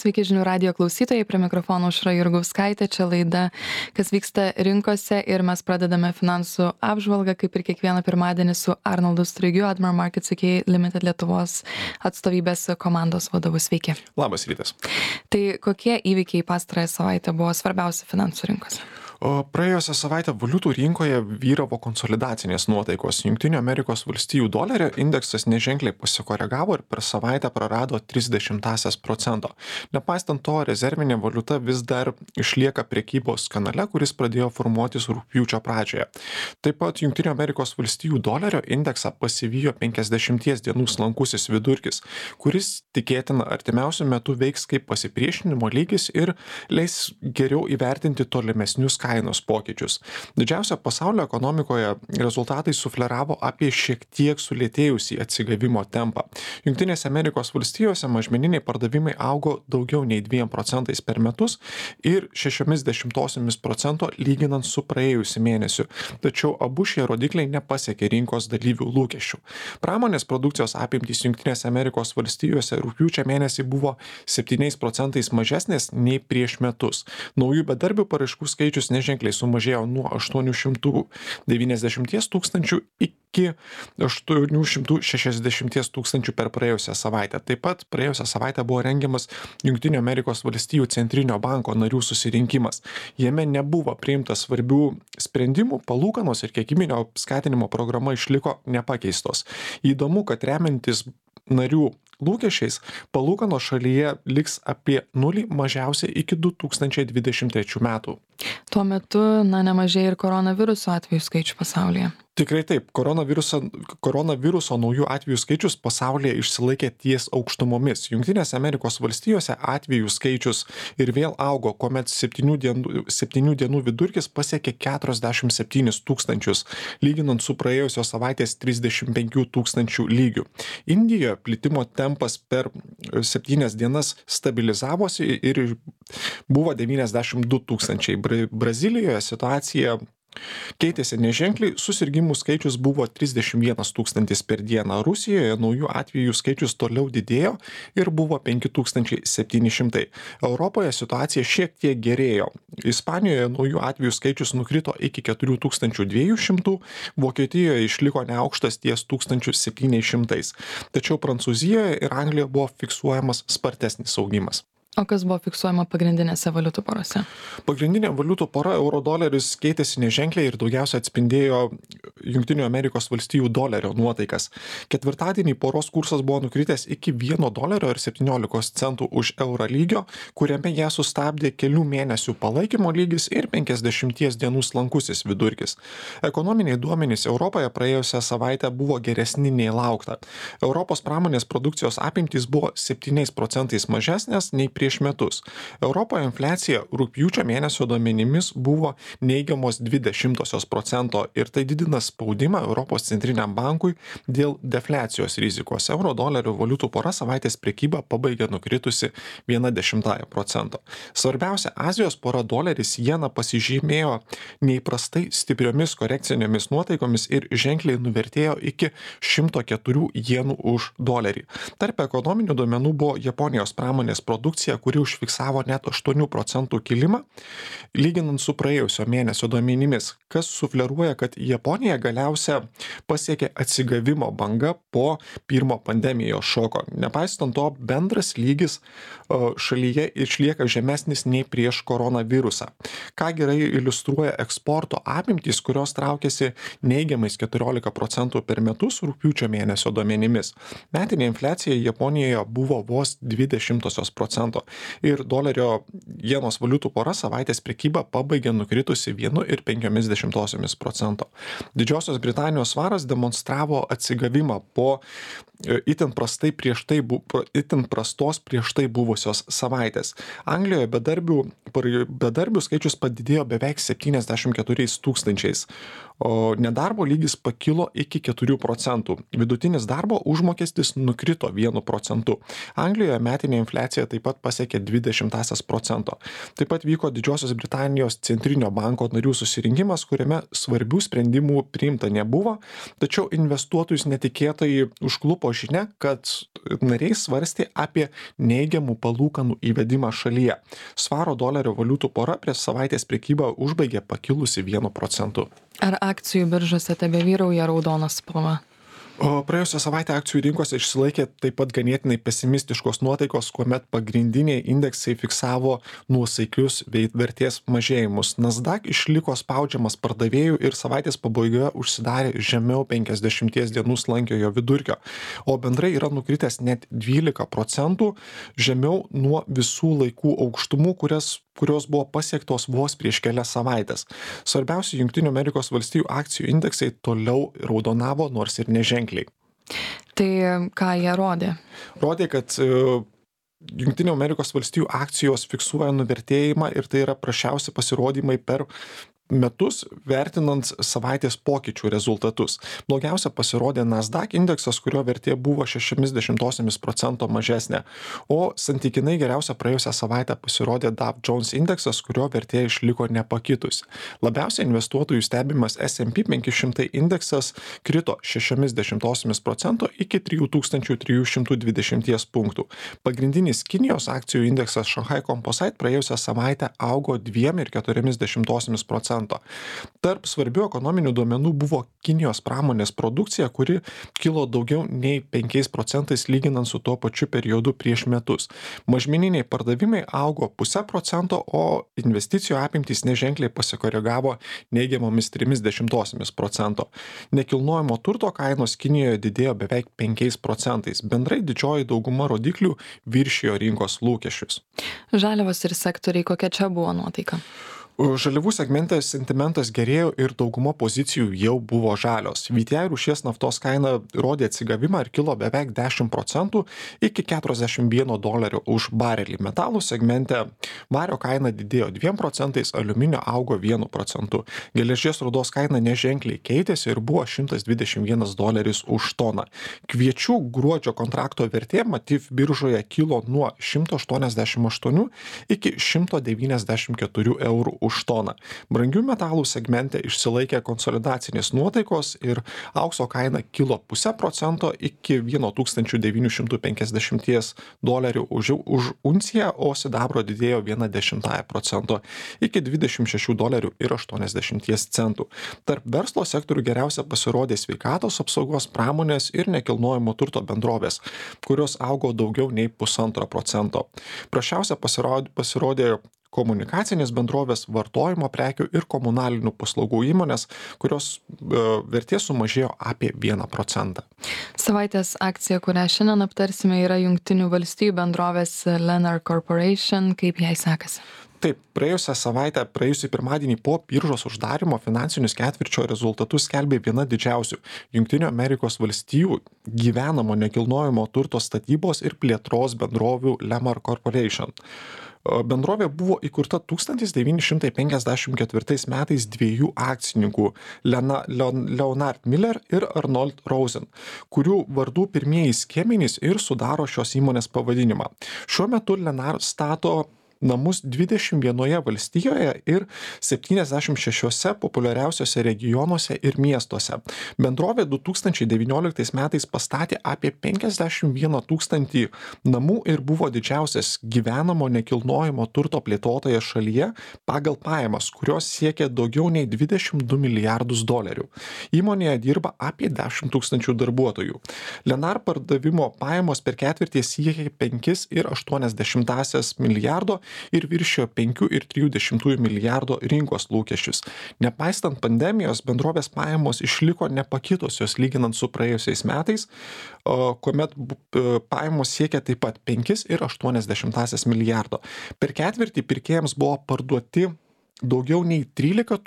Sveiki žinių radijo klausytojai, prie mikrofono Aušra Jurgauskaitė, čia laida, kas vyksta rinkose ir mes pradedame finansų apžvalgą, kaip ir kiekvieną pirmadienį su Arnoldu Straigiu, Admiral Markets UK Limited Lietuvos atstovybės komandos vadovu. Sveiki. Labas rytas. Tai kokie įvykiai pastarąją savaitę buvo svarbiausi finansų rinkose? Praėjusią savaitę valiutų rinkoje vyravo konsolidacinės nuotaikos. Jungtinių Amerikos valstijų dolerio indeksas neženkliai pasikoregavo ir per savaitę prarado 0,3%. Nepaisant to, rezervinė valiuta vis dar išlieka prekybos kanale, kuris pradėjo formuotis rugpjūčio pradžioje. Taip pat Jungtinių Amerikos valstijų dolerio indeksą pasivijo 50 dienų slankusis vidurkis, kuris tikėtina artimiausiu metu veiks kaip pasipriešinimo lygis ir leis geriau įvertinti tolimesnius kainos pokyčius. Didžiausia pasaulio ekonomikoje rezultatai sufleravo apie šiek tiek sulėtėjusį atsigavimo tempą. Jungtinėse Amerikos valstijose mažmeniniai pardavimai augo daugiau nei 2% per metus ir 0,6% lyginant su praėjusiu mėnesiu. Tačiau abu šie rodikliai nepasiekė rinkos dalyvių lūkesčių. Pramonės produkcijos apimtys Jungtinėse Amerikos valstijose rugpjūčio mėnesį buvo 7% mažesnės nei prieš metus. Naujų bedarbių paraiškų skaičius neženkliai sumažėjo nuo 890 tūkstančių iki 860 tūkstančių per praėjusią savaitę. Taip pat praėjusią savaitę buvo rengiamas Jungtinių Amerikos valstijų centrinio banko narių susirinkimas. Jame nebuvo priimta svarbių sprendimų, palūkanos ir kiekybinio skatinimo programa išliko nepakeistos. Įdomu, kad remiantis narių lūkesčiais, palūkanos šalyje liks apie nulį mažiausiai iki 2023 metų. Tuo metu, nemažėja ir koronaviruso atvejų skaičių pasaulyje. Tikrai taip, koronaviruso naujų atvejų skaičius pasaulyje išsilaikė ties aukštumomis. Jungtinėse Amerikos valstijose atvejų skaičius ir vėl augo, kuomet 7 dienų vidurkis pasiekė 47 tūkstančius, lyginant su praėjusios savaitės 35 tūkstančių lygių. Indijoje plitimo tempas per 7 dienas stabilizavosi ir buvo 92 tūkstančiai. Brazilijoje situacija keitėsi neženkliai, susirgimų skaičius buvo 31 tūkstantis per dieną. Rusijoje naujų atvejų skaičius toliau didėjo ir buvo 5700. Europoje situacija šiek tiek gerėjo. Ispanijoje naujų atvejų skaičius nukrito iki 4200, Vokietijoje išliko neaukštas ties 1700. Tačiau Prancūzijoje ir Anglijoje buvo fiksuojamas spartesnis augimas. O kas buvo fiksuojama pagrindinėse valiutų porose? Pagrindinė valiutų pora euro-doleris keitėsi neženkliai ir daugiausia atspindėjo Jungtinių Amerikos valstijų dolerio nuotaikas. Ketvirtadienį poros kursas buvo nukritęs iki $1.17 už eurą lygio, kuriame ją sustabdė kelių mėnesių palaikymo lygis ir 50 dienų slankusis vidurkis. Ekonominiai duomenys Europoje praėjusią savaitę buvo geresni nei laukta. Europos pramonės produkcijos apimtys buvo 7% mažesnės nei prieš metus. Europoje infliacija rugpjūčio mėnesio duomenimis buvo neigiamos 0,2% ir tai didina spaudimą Europos centriniam bankui dėl defliacijos rizikos. Euro-dolerio valiutų pora savaitės prekybą pabaigė nukritusi 0,1%. Svarbiausia Azijos pora doleris jena pasižymėjo neįprastai stipriomis korekcinėmis nuotaikomis ir ženkliai nuvertėjo iki 104 jenų už dolerį. Tarp ekonominių duomenų buvo Japonijos pramonės produkcija, kuri užfiksavo net 8% kilimą, lyginant su praėjusio mėnesio duomenimis, kas sufleruoja, kad Japonija galiausia pasiekė atsigavimo banga po pirmo pandemijos šoko. Nepaisant to, bendras lygis šalyje išlieka žemesnis nei prieš koronavirusą. Ką gerai iliustruoja eksporto apimtys, kurios traukėsi neigiamais 14% per metus rugpjūčio mėnesio duomenimis. Metinė infliacija Japonijoje buvo vos 0,2% ir dolerio jenos valiutų pora savaitės prekybą pabaigė nukritusi 1,5%. Didžiosios Britanijos svaras demonstravo atsigavimą po itin prastos prieš tai buvusios savaitės. Anglijoje bedarbių skaičius padidėjo beveik 74 tūkstančiais, O nedarbo lygis pakilo iki 4%. Vidutinis darbo užmokestis nukrito 1%. Anglijoje metinė infliacija taip pat pasiekė 0,20%. Taip pat vyko Didžiosios Britanijos centrinio banko narių susirinkimas, kuriame svarbių sprendimų priimta nebuvo, tačiau investuotojus netikėtai užklupo žinia, kad nariai svarstė apie neigiamų palūkanų įvedimą šalyje. Svaro dolerio valiutų pora prieš savaitės prekybą užbaigė pakilusi 1%. Ar akcijų biržose tebevyrauja raudona spalva? O praėjusią savaitę akcijų rinkose išsilaikė taip pat ganėtinai pesimistiškos nuotaikos, kuomet pagrindiniai indeksai fiksavo nuosaikius vertės mažėjimus. Nasdaq išliko spaudžiamas pardavėjų ir savaitės pabaigoje užsidarė žemiau 50 dienų slankiojo vidurkio, o bendrai yra nukritęs net 12% žemiau nuo visų laikų aukštumų, kurios buvo pasiektos vos prieš kelias savaitės. Svarbiausi Jungtinių Amerikos valstijų akcijų indeksai toliau raudonavo, nors ir neženkliai. Tai ką jie rodė? Rodė, kad Jungtinių Amerikos valstijų akcijos fiksuoja nuvertėjimą ir tai yra prasčiausi pasirodymai per metus, vertinant savaitės pokyčių rezultatus. Blogiausia pasirodė Nasdaq indeksas, kurio vertė buvo 0,6% mažesnė, o santykinai geriausia praėjusią savaitę pasirodė Dow Jones indeksas, kurio vertė išliko nepakitusi. Labiausiai investuotojų stebimas S&P 500 indeksas krito 0,6% iki 3320 punktų. Pagrindinis Kinijos akcijų indeksas Shanghai Composite praėjusią savaitę augo 2,4%. Tarp svarbių ekonominių duomenų buvo Kinijos pramonės produkcija, kuri kilo daugiau nei 5% lyginant su tuo pačiu periodu prieš metus. Mažmeniniai pardavimai augo 0,5%, o investicijų apimtys neženkliai pasikoregavo neigiamomis 0,3%. Nekilnojamo turto kainos Kinijoje didėjo beveik 5%. Bendrai didžioji dauguma rodiklių viršijo rinkos lūkesčius. Žaliavos ir sektoriai, kokia čia buvo nuotaika? Žaliavų segmente sentimentas gerėjo ir dauguma pozicijų jau buvo žalios. VTI rūšies naftos kaina rodė atsigavimą ir kilo beveik 10% iki $41 už barelį. Metalų segmente vario kaina didėjo 2%, aliuminio augo 1%. Geležies rūdos kaina neženkliai keitėsi ir buvo $121 už toną. Kviečių gruodžio kontrakto vertė Matif biržoje kilo nuo 188 iki 194 eurų už toną. Brangių metalų segmente išsilaikė konsolidacinės nuotaikos ir aukso kaina kilo 0,5% iki $1950 už unciją, o sidabro didėjo 0,1% iki $26,80. Tarp verslo sektorių geriausia pasirodė sveikatos apsaugos, pramonės ir nekilnojamo turto bendrovės, kurios augo daugiau nei 1,5%. Prasčiausia pasirodė komunikacinės bendrovės, vartojimo prekių ir komunalinių paslaugų įmonės, kurios vertė sumažėjo apie 1%. Savaitės akcija, kurią šiandien aptarsime, yra Jungtinių valstijų bendrovės Lennar Corporation. Kaip jai sekasi? Taip, praėjusį pirmadienį po biržos uždarimo finansinius ketvirčio rezultatus skelbė viena didžiausių Jungtinių Amerikos valstijų gyvenamo nekilnojamo turto statybos ir plėtros bendrovių Lennar Corporation. Bendrovė buvo įkurta 1954 metais dviejų akcininkų Leonard Miller ir Arnold Rosen, kurių vardų pirmieji skiemenys ir sudaro šios įmonės pavadinimą. Šiuo metu Lennar stato namus 21 valstijoje ir 76 populiariausiose regionuose ir miestuose. Bendrovė 2019 metais pastatė apie 51 000 namų ir buvo didžiausias gyvenamo nekilnojamo turto plėtotojas šalyje pagal pajamas, kurios siekia daugiau nei $22 milijardus. Įmonėje dirba apie 10 000 darbuotojų. Lennar pardavimo pajamos per ketvirtį siekia 5,8 milijardo ir viršijo 5,3 milijardo rinkos lūkesčius. Nepaistant pandemijos, bendrovės pajamos išliko nepakitusios lyginant su praėjusiais metais, kuomet pajamos siekia taip pat 5,8 milijardo. Per ketvirtį pirkėjams buvo parduoti daugiau nei 13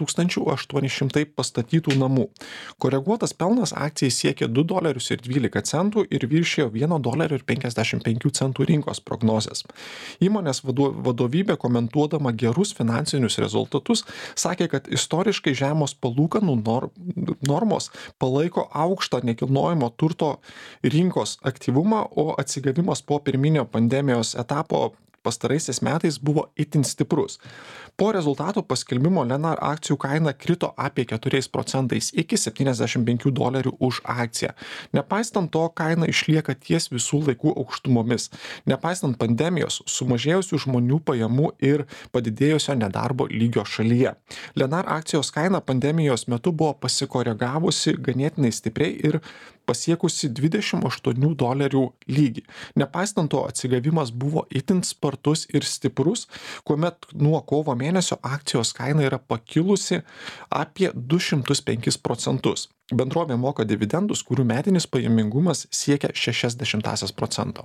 800 pastatytų namų. Koreguotas pelnas akcijai siekė $2,12 ir viršijo $1,55 rinkos prognozes. Įmonės vadovybė, komentuodama gerus finansinius rezultatus, sakė, kad istoriškai žemos palūkanų normos palaiko aukštą nekilnojamo turto rinkos aktyvumą, o atsigavimas po pirminio pandemijos etapo pastaraisiais metais buvo itin stiprus. Po rezultatų paskelbimo Lennar akcijų kaina krito apie 4% iki $75 už akciją. Nepaisant to, kaina išlieka ties visų laikų aukštumomis. Nepaisant pandemijos, sumažėjusių žmonių pajamų ir padidėjusio nedarbo lygio šalyje. Lennar akcijos kaina pandemijos metu buvo pasikoregavusi ganėtinai stipriai ir pasiekusi $28 lygį. Nepaisant to, atsigavimas buvo itin spartus ir stiprus, kuomet nuo kovo mėnesio akcijos kaina yra pakilusi apie 205%. Bendrovė moka dividendus, kurių metinis pajamingumas siekia 0,6%.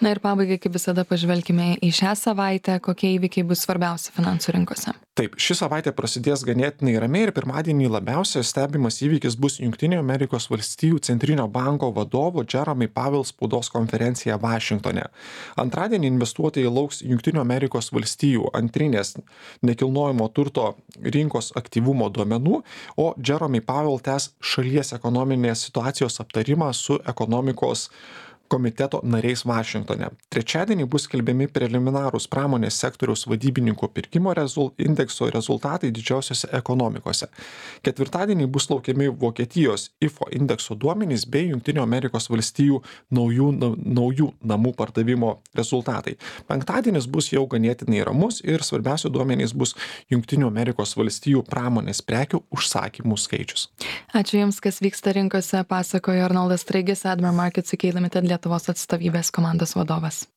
Na ir pabaigai, kaip visada, pažvelkime į šią savaitę, kokie įvykiai bus svarbiausi finansų rinkose. Taip, ši savaitė prasidės ganėtinai ramiai ir pirmadienį labiausiai stebimas įvykis bus Jungtinių Amerikos valstijų centrinio banko vadovo Jerome Powell spaudos konferencija Vašingtone. Antradienį investuotojai lauks Jungtinių Amerikos valstijų antrinės nekilnojamo turto rinkos aktyvumo duomenų, o Jerome Powell tęs šalies ekonominės situacijos aptarimą su ekonomikos komiteto nariais Vašingtone. Trečiadienį bus skelbiami preliminarūs pramonės sektoriaus vadybininkų pirkimo indekso rezultatai didžiausiose ekonomikose. Ketvirtadienį bus laukiami Vokietijos IFO indekso duomenys bei Jungtinių Amerikos valstijų naujų namų pardavimo rezultatai. Penktadienis bus jau ganėtinai ramus ir svarbiausi duomenys bus Jungtinių Amerikos valstijų pramonės prekių užsakymų skaičius. Ačiū Jums, kas vyksta rinkose, pasakojo Arnoldas Straigis, Admiral Markets UK Limited Lietuvos atstovybės komandos vadovas.